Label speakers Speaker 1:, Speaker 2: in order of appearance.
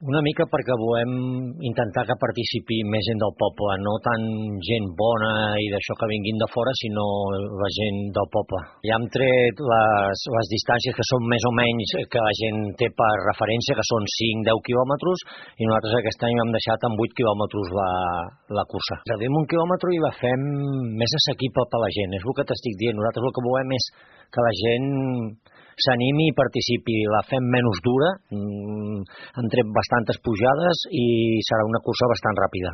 Speaker 1: Una mica perquè volem intentar que participi més gent del poble, no tant gent bona i d'això que vinguin de fora, sinó la gent del poble. Ja hem tret les distàncies que són més o menys que la gent té per referència, que són 5-10 quilòmetres, i nosaltres aquest any hem deixat en 8 quilòmetres la cursa. Reduïm 1 quilòmetre i la fem més assequible per la gent, és el que t'estic dient. Nosaltres el que volem és que la gent s'animi i participi. La fem menys dura, hem tret bastantes pujades i serà una cursa bastant ràpida.